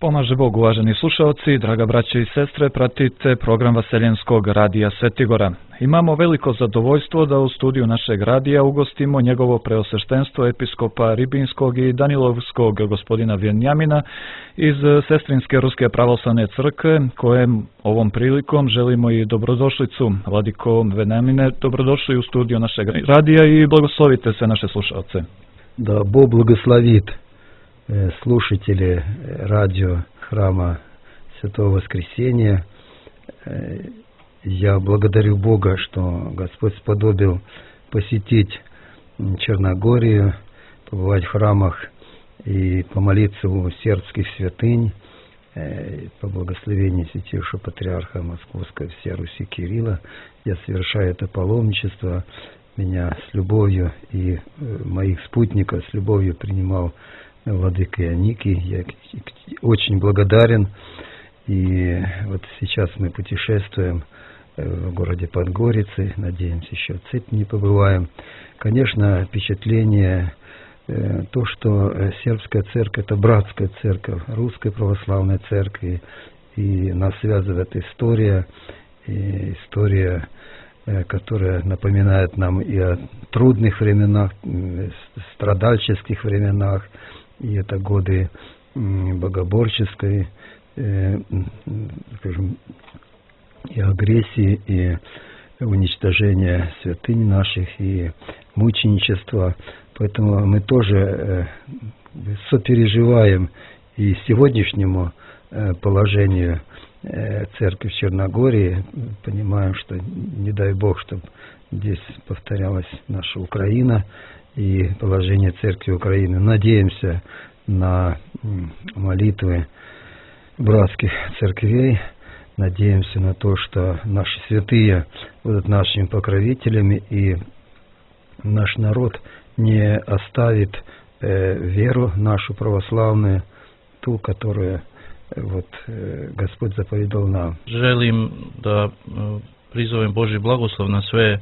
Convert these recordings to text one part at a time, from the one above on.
Pomaže Bog, uvaženi slušalci, draga braćo i sestre, pratite program Vaseljenskog radija Svetigora. Imamo veliko zadovoljstvo da u studiju našeg radija ugostimo njegovo preosveštenstvo episkopa Ribinskog i Danilovskog gospodina Vjenjamina iz Sestrinske Ruske pravoslavne crkve, kojem ovom prilikom želimo i dobrodošlicu. Vladiko Vjenjamine, dobrodošli u studiju našeg radija i blagoslovite sve naše slušalce. Да Бог благословит слушатели радио Храма Святого Воскресения. Я благодарю Бога, что Господь сподобил посетить Черногорию, побывать в храмах и помолиться у сербских святынь по благословению Святейшего Патриарха Московской всей Руси Кирилла. Я совершаю это паломничество. Меня с любовью и моих спутников с любовью принимал владыка Ионикий. Я очень благодарен. И вот сейчас мы путешествуем в городе Подгорицы. Надеемся, еще в Цепи не побываем. Конечно, впечатление то, что сербская церковь — это братская церковь Русской Православной Церкви. И нас связывает история, которая напоминает нам и о трудных временах, страдальческих временах, и это годы богоборческой, скажем, и агрессии, и уничтожения святынь наших, и мученичества. Поэтому мы тоже сопереживаем и сегодняшнему положению церкви в Черногории, понимаем, что не дай Бог, чтобы здесь повторялась наша Украина и положение церкви Украины. Надеемся на молитвы братских церквей, надеемся на то, что наши святые будут нашими покровителями, и наш народ не оставит веру нашу православную, ту, которую Gospod zapovjedao nam. Želim da prizovem Božji blagoslov na sve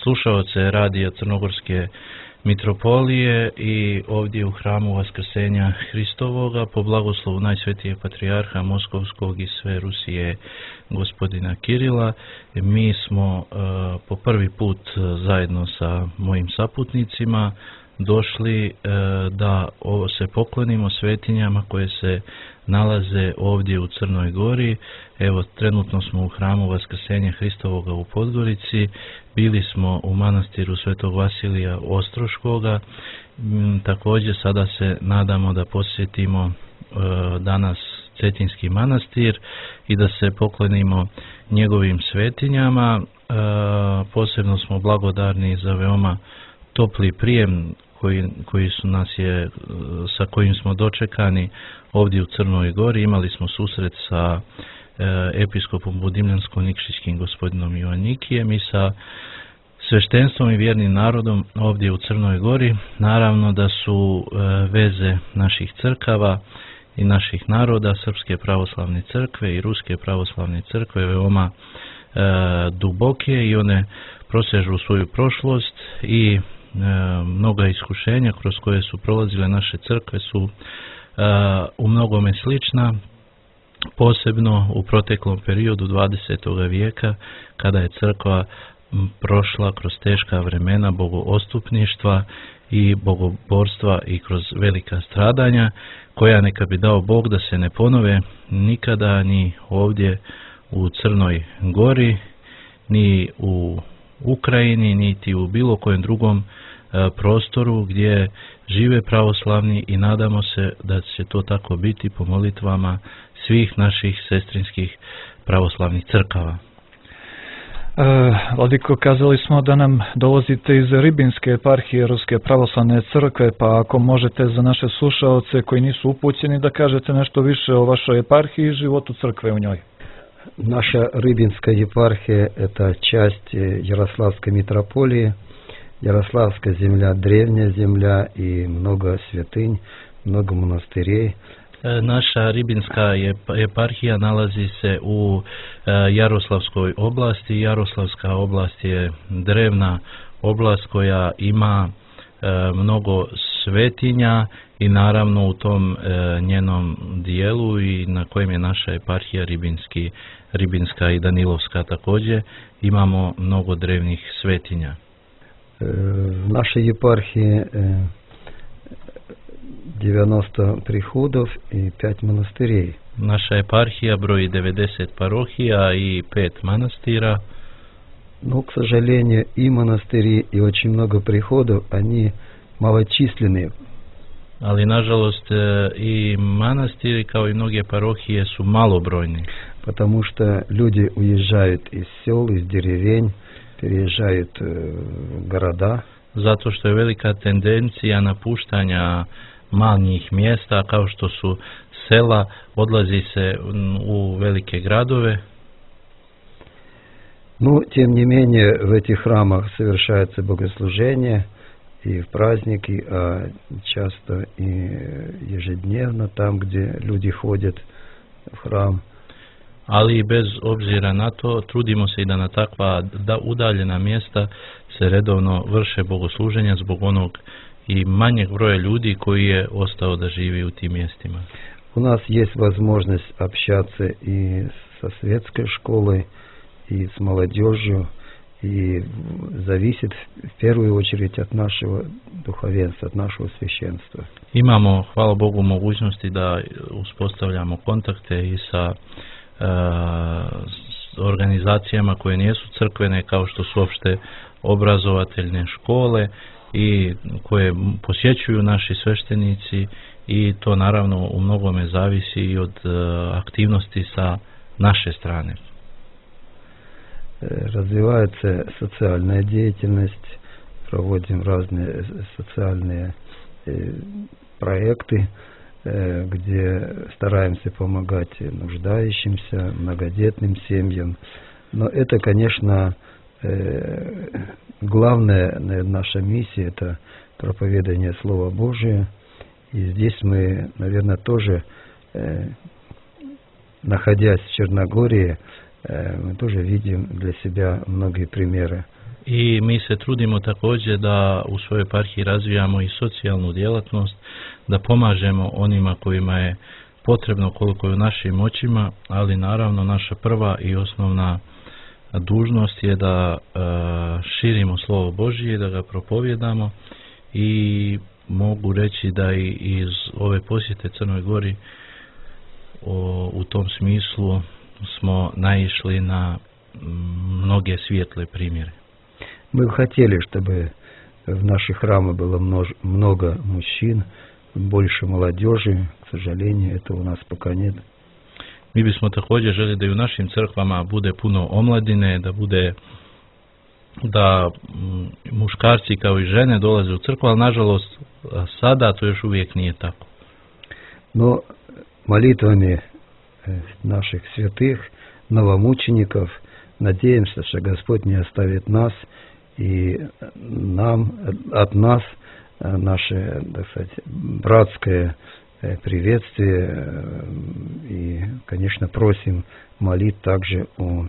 slušaoce radija Crnogorske mitropolije i ovdje u hramu Vaskrsenja Hristovoga po blagoslovu Najsvetijeg Patrijarha Moskovskog i sve Rusije gospodina Kirila. Mi smo po prvi put zajedno sa mojim saputnicima došli da se poklonimo svetinjama koje se nalaze ovdje u Crnoj Gori. Evo, trenutno smo u hramu Vaskrsenja Hristovoga u Podgorici, bili smo u manastiru Svetog Vasilija Ostroškoga, također sada se nadamo da posjetimo danas Cetinski manastir i da se poklonimo njegovim svetinjama. Posebno smo blagodarni za veoma topli prijem koji su sa kojim smo dočekani ovdje u Crnoj Gori. Imali smo susret sa episkopom Budimljansko-Nikšićkim gospodinom Ivanikijem i sa sveštenstvom i vjernim narodom ovdje u Crnoj Gori. Naravno da su veze naših crkava i naših naroda, Srpske pravoslavne crkve i Ruske pravoslavne crkve, veoma duboke i one prosežu u svoju prošlost i mnoga iskušenja kroz koje su prolazile naše crkve su u mnogome slična, posebno u proteklom periodu 20. vijeka kada je crkva prošla kroz teška vremena bogoostupništva i bogoborstva i kroz velika stradanja, koja neka bi dao Bog da se ne ponove nikada ni ovdje u Crnoj Gori, ni u Ukrajini, niti u bilo kojem drugom prostoru gdje žive pravoslavni, i nadamo se da će to tako biti po molitvama svih naših sestrinskih pravoslavnih crkava. Vladiko, kazali smo da nam dolazite iz Ribinske eparhije Ruske pravoslavne crkve, pa ako možete za naše slušaoce koji nisu upućeni da kažete nešto više o vašoj eparhiji i životu crkve u njoj. Наша Рыбинская епархия – это часть Ярославской митрополии. Ярославская земля – древняя земля и много святынь, много монастырей. Naša Ribinska eparhija nalazi se u Jaroslavskoj oblasti. Jaroslavska oblast je drevna oblast koja ima mnogo svetinja i naravno u tom njenom dijelu i na kojem je naša eparhija Ribinska i Danilovska također, imamo mnogo drevnih svetinja. В нашей епархии 90 приходов и 5 монастырей. Naša eparhija broji 90 parohija i 5 manastira. Но, к сожалению, и монастыри, и очень много приходов, они малочисленные. Ali nažalost i manastiri kao i mnoge parohije su malobrojni. Потому что люди уезжают из сел, из деревень, переезжают в города. Zato što je velika tendencija napuštanja manjih mjesta kao što su sela, odlazi se u velike gradove. Но, тем не менее, в этих храмах совершается богослужение и в праздники, а часто и ежедневно, там, где люди ходят в храм. Ali bez obzira na to, trudimo se i da na takva udaljena mjesta se redovno vrše bogosluženja zbog onog i manjeg broja ljudi koji je ostao da živi u tim mjestima. У нас есть возможность общаться и со светской школой, и с молодежью, и зависит в первую очередь от нашего духовенства, от нашего священства. Imamo, hvala Bogu, mogućnosti da uspostavljamo kontakte i sa organizacijama koje nisu crkvene, kao što su opšte obrazovateljne škole i koje posjećuju naši sveštenici, i to naravno u mnogome zavisi i od aktivnosti sa naše strane. Развивается социальная деятельность, проводим разные социальные проекты, где стараемся помогать нуждающимся, многодетным семьям. Но это, конечно, главная наша миссия – это проповедание Слова Божия. И здесь мы, наверное, тоже, находясь в Черногории, мы тоже видим для себя многие примеры. I mi se trudimo također da u svojoj eparhiji razvijamo i socijalnu djelatnost, da pomažemo onima kojima je potrebno koliko je u našim moćima, ali naravno naša prva i osnovna dužnost je da širimo Slovo Božije, da ga propovjedamo, i mogu reći da i iz ove posjete Crnoj Gori u tom smislu smo naišli na mnoge svijetle primjere. Мы бы хотели, чтобы в наших храмах было много мужчин, больше молодежи. К сожалению, этого у нас пока нет. Mi bismo također želi da i u našim crkvama bude puno omladine, da muškarci kao i žene dolaze u crkvu, ali nažalost sada to još uvijek nije tako. Но молитвами наших святых, новомучеников, надеемся, что Господь не оставит нас, и от нас наше, так сказать, братское приветствие, и, конечно, просим молить также у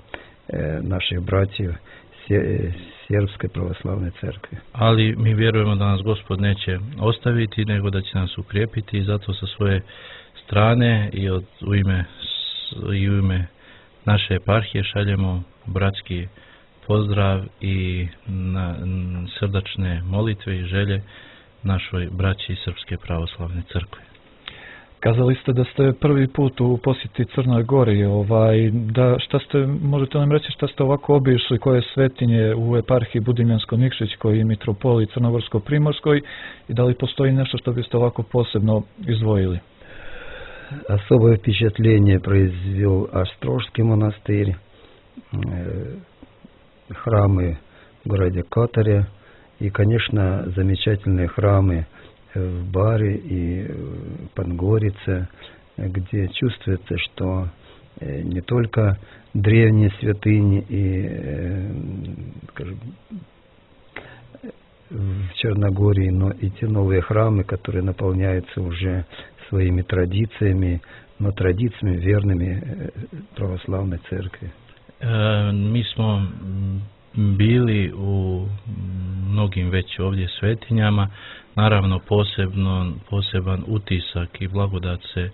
наших братьев Сербской православной церкви. Ali mi vjerujemo da nas Gospod neće ostaviti, nego da će nas ukrijepiti, i zato sa svoje strane i u ime naše eparhije šaljemo bratski pozdrav i srdačne molitve i želje našoj braći Srpske pravoslavne crkve. Kazali ste da ste prvi put u posjeti Crnoj Gori, možete nam reći šta ste ovako obišli, koje svetinje u eparhiji Budimljansko-Nikšićkoj i mitropoliji Crnogorsko-Primorskoj, i da li postoji nešto što biste ovako posebno izdvojili? Особое впечатление произвел Острожский монастырь, храмы в городе Катаре и, конечно, замечательные храмы в Баре и Подгорице, где чувствуется, что не только древние святыни и в Черногории, но и те новые храмы, которые наполняются уже своими традициями, но традициями верными православной церкви. Mi smo bili u mnogim već ovdje svetinjama. Naravno poseban utisak i blagodat se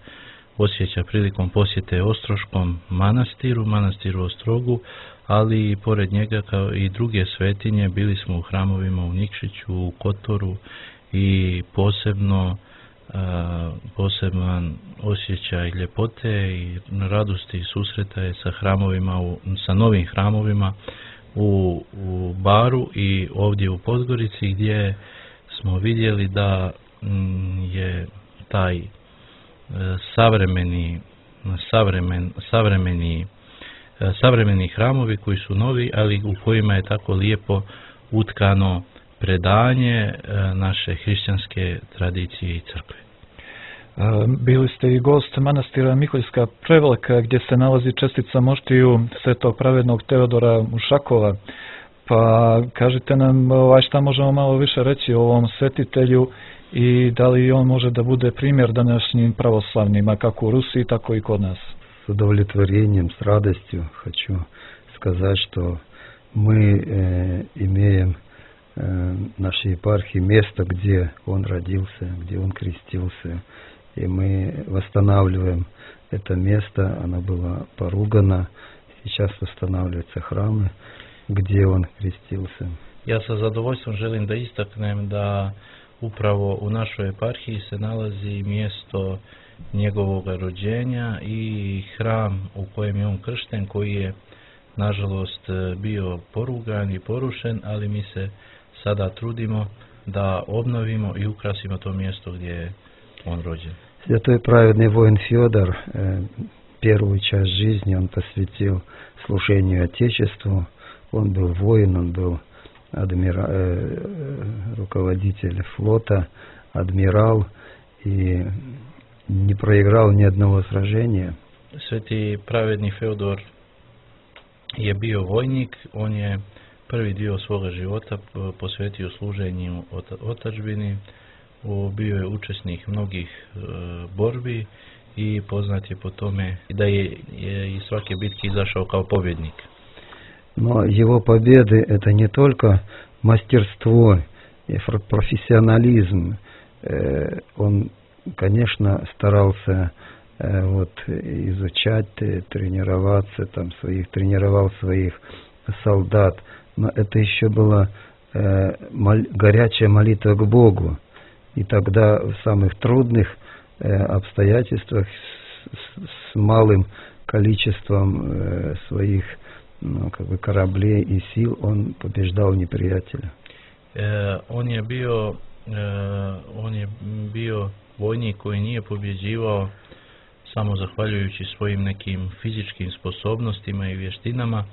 osjeća prilikom posjete Ostroškom manastiru Ostrogu, ali i pored njega kao i druge svetinje bili smo u hramovima u Nikšiću, u Kotoru i poseban osjećaj ljepote i radosti i susreta je sa hramovima, sa novim hramovima u Baru i ovdje u Podgorici, gdje smo vidjeli da je taj savremeni hramovi koji su novi, ali u kojima je tako lijepo utkano predanje naše hrišćanske tradicije i crkve. Bili ste i gost manastira Miholjska Prevelika, gdje se nalazi čestica moštiju svetog pravednog Teodora Ušakova. Pa kažite nam šta možemo malo više reći o ovom svetitelju i da li on može da bude primjer današnjim pravoslavnima, kako u Rusiji, tako i kod nas. С удовлетворением, с радостью хочу сказать, что мы имеем в нашей епархии место, где он родился, где он крестился. И мы восстанавливаем это место, оно было поругано. Сейчас восстанавливаются храмы, gdje on krestился. Ja sa zadovoljstvom želim da istaknem da upravo u našoj eparhiji se nalazi mjesto njegovog rođenja i hram u kojem je on kršten, koji je nažalost bio porugan i porušen, ali mi se sada trudimo da obnovimo i ukrasimo to mjesto gdje je on rođen. Святой праведный воин Федор первую часть жизни он посвятил служению Отечеству. Он был воин, он был руководитель флота, адмирал и не проиграл ни одного сражения. Sveti pravedni Feodor je bio vojnik, on je prvi dio svoga života posvetio služenju otadžbini, bio je učesnik mnogih borbi i poznat je po tome da je iz svake bitke izašao kao pobjednik. Но его победы это не только мастерство и профессионализм. Он, конечно, старался изучать, тренироваться, тренировал своих солдат. Но это еще была горячая молитва к Богу. И тогда в самых трудных обстоятельствах с малым количеством своих кораблей и сил он побеждал неприятеля. On je bio vojnik koji nije pobjeđivao samo zahvaljujući svojim nekim fizičkim sposobnostima i vještinama,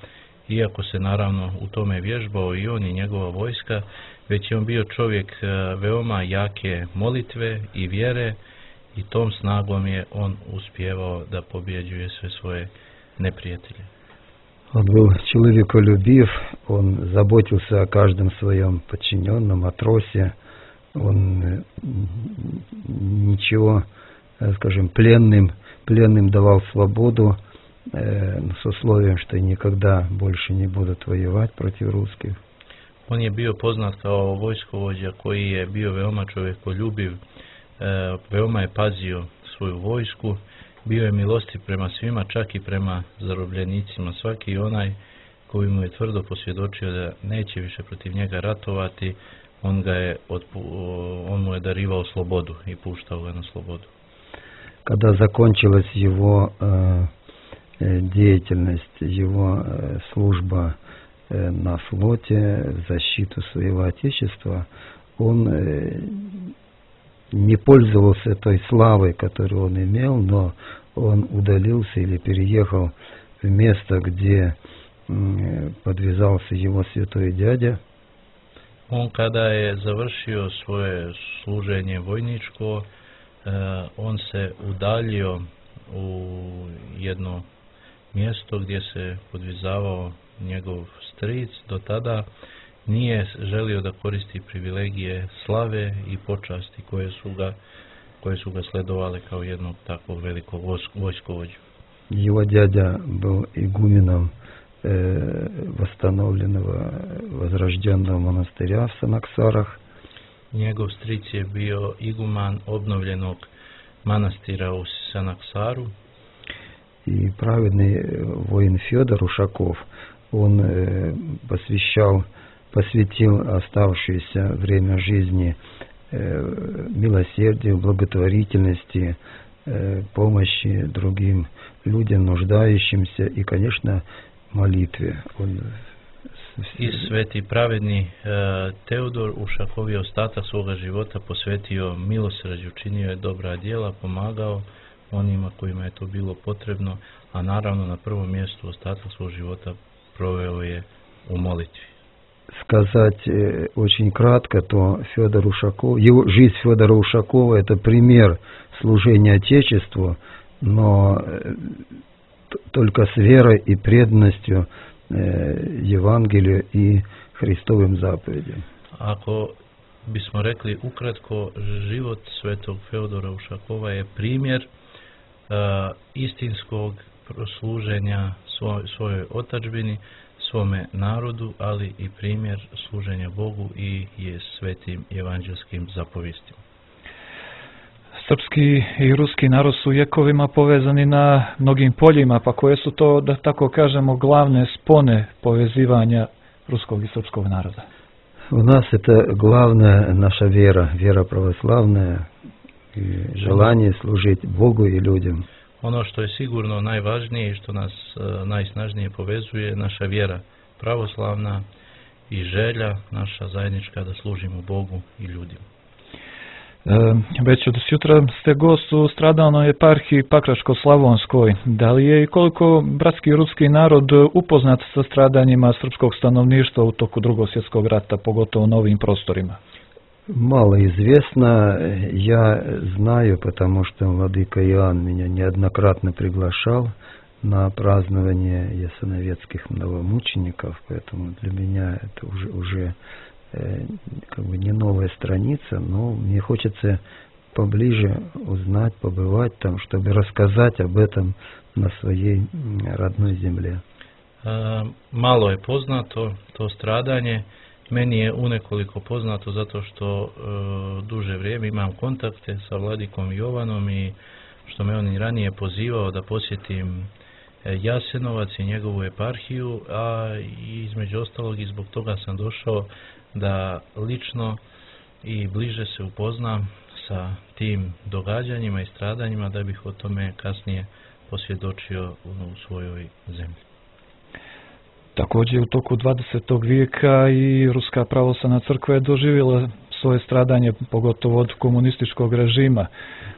iako se naravno u tome vježbao i on i njegova vojska, već je on bio čovjek veoma jake molitve i vjere i tom snagom je on uspjevao da pobjeđuje sve svoje neprijatelje. Он был человеколюбив, он заботился о каждом своем подчиненном, матросе. Он ничего, скажем, пленным давал свободу с условием, что никогда больше не будут воевать против русских. On je bio poznat kao vojskovođa koji je bio veoma čovjekoljubiv, veoma je pazio svoju vojsku, bio je milostiv prema svima, čak i prema zarobljenicima. Svaki onaj koji mu je tvrdo posvjedočio da neće više protiv njega ratovati, on mu je darivao slobodu i puštao ga na slobodu. Когда закончилась его деятельность, его служба на флоте в защиту своего Отечества, он не пользовался той славой, которую он имел, но он удалился или переехал в место, где подвязался его святой дядя. On kada je završio svoje služenje vojničko, on se udaljio u jedno mjesto gdje se podvizavao njegov stric. Do tada nije želio da koristi privilegije slave i počasti koje su ga sledovale kao jednog takvog velikog vojskovođu. Его дядя был игуменом восстановленного, возрожденного монастыря в Санаксарах. Njegov stric je bio iguman obnovljenog manastira u Sanaksaru. И праведный воин Федор Ушаков, он посвятил оставшееся время жизни милосердию, благотворительности, помощи другим людям, нуждающимся и, конечно, молитве. I sveti pravedni Teodor Ušakov je ostatak svoga života posvetio milosrđu, činio je dobra djela, pomagao onima kojima je to bilo potrebno, a naravno na prvom mjestu ostatak svog života proveo je u molitvi. Сказать очень кратко, то Федор Ушаков, жизнь Федора Ушакова — это пример служения Отечеству, но только с верой и преданностью Евангелию и Христовым заповедям. Ako bismo rekli ukratko, život svetog Feodora Ušakova je primjer istinskog služenja svojoj otadžbini, svome narodu, ali i primjer služenja Bogu i je svetim evanđelskim zapovistima. Srpski i ruski narod su vjekovima povezani na mnogim poljima, pa koje su to, da tako kažemo, glavne spone povezivanja ruskog i srpskog naroda? У нас это главная наша вера православная, и желание служить Богу и людям. Ono što je sigurno najvažnije i što nas najsnažnije povezuje, naša vjera pravoslavna i želja naša zajednička da služimo Bogu i ljudima. Već od jutra ste gost u stradalnoj eparhiji Pakračko-Slavonskoj. Da li je i koliko bratski i ruski narod upoznat sa stradanjima srpskog stanovništva u toku Drugog svjetskog rata, pogotovo na ovim prostorima? Мало известно. Я знаю, потому что владыка Иоанн меня неоднократно приглашал на празднование ясоновецких новомучеников, поэтому для меня это уже как бы не новая страница, но мне хочется поближе узнать, побывать там, чтобы рассказать об этом на своей родной земле. Malo je poznato to stradanje. Meni je unekoliko poznato zato što duže vrijeme imam kontakte sa vladikom Jovanom i što me on i ranije pozivao da posjetim Jasenovac i njegovu eparhiju, a između ostalog i zbog toga sam došao da lično i bliže se upoznam sa tim događanjima i stradanjima, da bih o tome kasnije posvjedočio u svojoj zemlji. Također u toku 20. vijeka i Ruska pravoslavna crkva je doživjela svoje stradanje, pogotovo od komunističkog režima.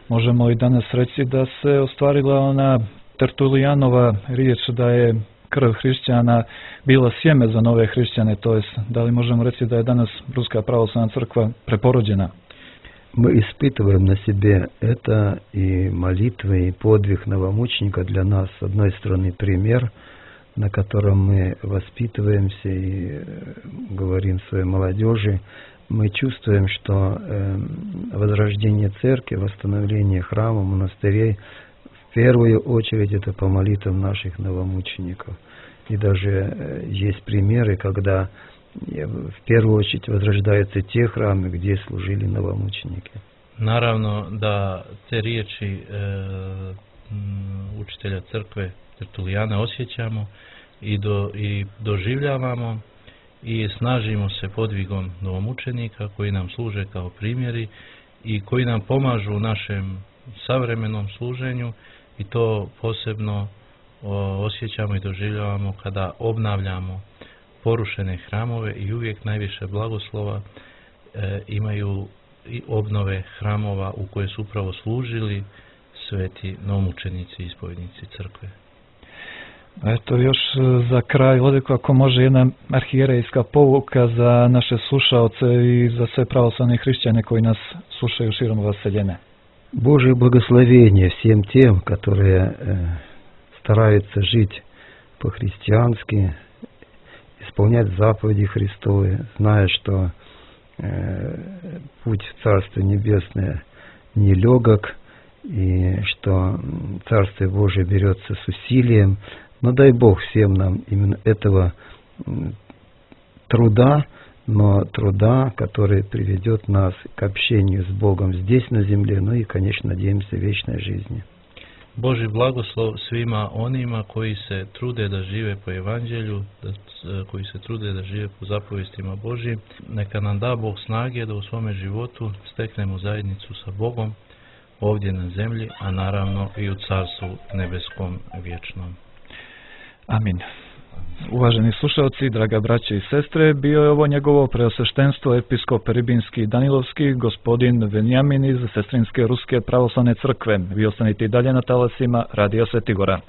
Možemo i danas reći da se ostvarila ona Tertulijanova riječ da je krv hrišćana bila sjeme za nove hrišćane, to jest da li možemo reći da je danas Ruska pravoslavna crkva preporođena? Мы испытываем на себе это, и молитвы, и подвиг новомученика для нас, с одной стороны, пример, на котором мы воспитываемся и говорим своей молодежи. Мы чувствуем, что возрождение церкви, восстановление храмов, монастырей, в первую очередь это по молитвам наших новомучеников. И даже есть примеры, когда в первую очередь возрождаются те храмы, где служили новомученики. Naravno da te riječi učitelja crkve Tertulijana osjećamo i doživljavamo i snažimo se podvigom novomučenika koji nam služe kao primjeri i koji nam pomažu u našem savremenom služenju, i to posebno osjećamo i doživljavamo kada obnavljamo porušene hramove, i uvijek najviše blagoslova imaju i obnove hramova u koje su upravo služili sveti novomučenici i ispovjednici crkve. Eto još za kraj, Vladiko, ako može jedna arhijerejska pouka za naše slušaoce i za sve pravoslavne hrišćane koji nas slušaju širom vaseljene. Божие благословение всем тем, которые стараются жить по-христиански, исполнять заповеди Христовы, зная, что путь в Царство Небесное нелегок, и что Царствие Божие берется с усилием, Но дай Бог всем нам именно этого труда, но труда, который приведет нас к общению с Богом здесь на земле, ну и, конечно, надеемся, вечной жизни. Boži blagoslov svima onima koji se trude da žive po evanđelju, koji se trude da žive po zapovjestima Božjim. Neka nam da Bog snage da u svome životu steknemo zajednicu sa Bogom ovdje na zemlji, a naravno i u Carstvu nebeskom vječnom. Amin. Uvaženi slušalci, draga braće i sestre, bio je ovo njegovo preosveštenstvo episkop Ribinski i Danilovski, gospodin Venjamin iz Sestrinske Ruske pravoslavne crkve. Vi ostanite i dalje na talasima Radija Sveti Gora.